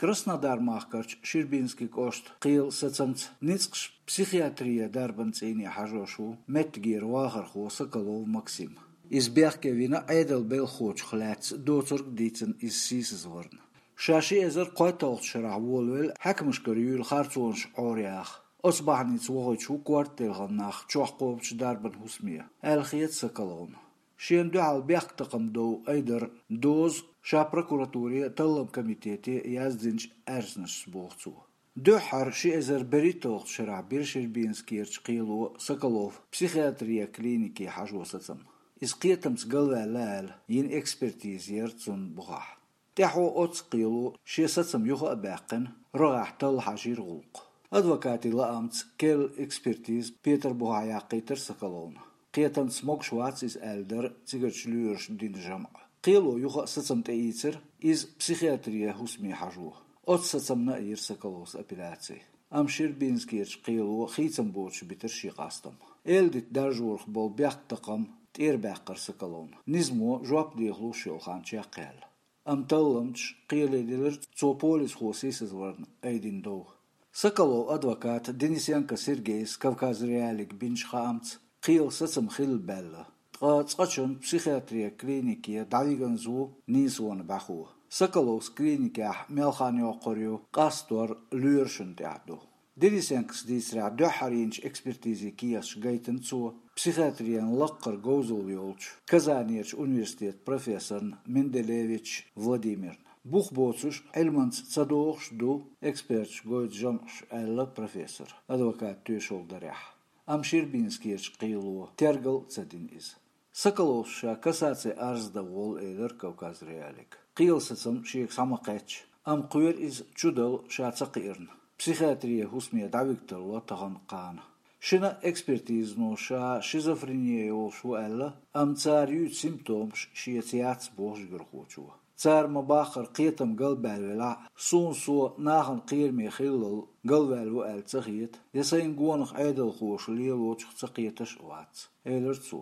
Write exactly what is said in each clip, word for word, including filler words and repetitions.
Краснодар-махкарчу Щербинский кӀоштан кхелан сацамца ницкъаша психиатрин дарбан цӀийне хьажош ву меттигера вахархо Соколов Максим. Иза бехке вина Ӏедалан белхахочух лаьцна доцург а дийцина иза сийсазварна. Ша ши эзар кхойтталгӀачу шарахь волавелла хьаькамашкара юьйлу харцонаш Ӏораяха. Оцу бахьаница вохуьйтуш ву кортделхана нах чохь кхобучу дарбан хӀусаме, аьлла хета Соколовна. Шена дуьхьал бехктакхаман дов айдаран доза ша прокуратуре а, талламан комитете а яздинчу аьрзнашца, боху цо. Дуьххьара ши эзар берхӀитталгӀачу шарахь бира Щербинскерчу кхело Соколов психиатрин клинике хьажо сацам. Иза кхетамца галваьлла аьлла йина экспертиза яра цунна бухахь. ТӀаьхьо оццу кхело шен сацам юха а баьккхина, рогӀехь талла хьажийра гӀуллакх. Адвокатийн лаамца, керла экспертиза Петар бухахь яккхийтира Соколовна. Кхетамца могуш вац иза аьлла дара цигарчу лоьраша дина жамӀ. Кхело юха а сацам тӀеийцира, иза психиатрин хӀусаме хьажо. Оцу сацамна а йира Соколовс апелляци. Амма Щербинскерчу кхело хийцам боцуш битира шен къастам. Эладита даржорах болу бехктакхам тӀерабаьккхира Соколовна, низамо жоп дехалуш йолу хан чекхъяьлла. Амма талламчаша кхеле дилира цо полисхо сийсазварна айдина дов. Соколовн адвоката Денисенко Сергейс Кавказ.Реалиига бинчу хаамца, кхелан сацам хилла баьлла, ткъа цкъачунна психиатрин клинике дӀавиганза ву нийсонан бӀаьхо. Соколовс клиникехь мел хан йоккхур ю, къастор лоьрашна тӀехь ду. Денисенкос дийцарехь, дуьххьара йинчу экспертизин кехаташ гайтина цо психиатрин лаккхара говзалла йолчу Казанерчу университетан профессорна Менделевич Владимирна. Бух боцуш, Ӏилманца ца догӀуш ду эксперташа гойту жамӀаш, аьлла профессора, адвоката тоьшалла дарехь. Амма Щербинскерчу кхело тергал а ца дина иза. Соколовс ша кассацин арз дан волу, элира Кавказ.Реалиига. Кхелан сацам шега схьа ма кхетта, амма кхоьру иза чудала ша ца кхиарна. Психиатрин хӀусаме дӀавига тарло тахана кхана. Шина экспертизано ша шизофрени йолуш ву аьлла, амма цара юьйцу симптомаш шеца яц, боху жигархочо. Цара ма-баххара кхетам галбаьлла велахь а, суна со нахана кхераме хиллал галваьлла ву аьлла ца хета, я сайна гонах Ӏедалхоша лелочух ца кхеташ а вац, элира цо.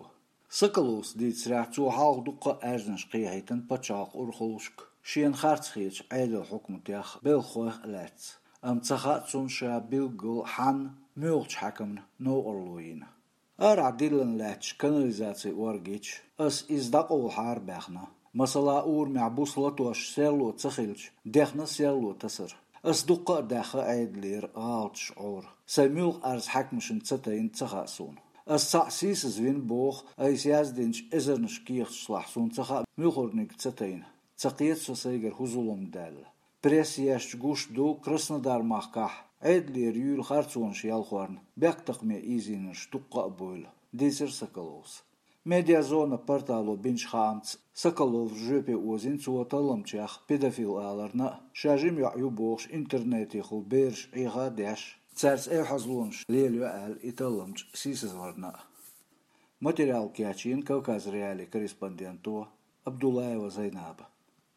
Соколовс дийцарехь, цо хьалха дуккха а аьрзнаш кхехьийтина пачхьалкхан урхаллашка, шена харц хетачу Ӏедалан хьукматех, белхахойх а лаьцна. Амма ца хаьа цунна ша билггал хьанна, муьлхачу хьаькамна новкъарло йина. Арахь диллина лаьтташ канализацин оргича, ас иза дӀакъовлахьара баьхна. Масала, урамехь буса латош серло ца хилча, дехна серло тасар. Ас дуккха а даьхна Ӏедалера гӀалаташ Ӏора. Сайн муьлхха арз хьаькамашна ца тайна ца хаьа суна. Ас цхьаъ сийсазвина боху, айса яздинчу эзарнаш кехаташлахь суна ца хаьа муьлххарниг ца тайна. Ца кхета со сайгара хӀун зулам даьлла. Пресса ешча гуш ду, Краснодар-махкахь Ӏедалера юьйлу харцонаш ялхорна бехктакхаме ийзийнарш дуккха а бойла, дийцира Соколовс. Медиазона портало бинчу хаамца, Соколовс жоьпе озийна цо талламчех педофил аларна а, ша жима йоӀ ю бохуш интернетехула бераш Ӏеха а деш, цаьрца эвхьазлонаш лелайо аьлла, и талламча сийсазварна а. Материал кечйина Кавказ.Реалиин корреспонденто Абдуллаева Зайнаба.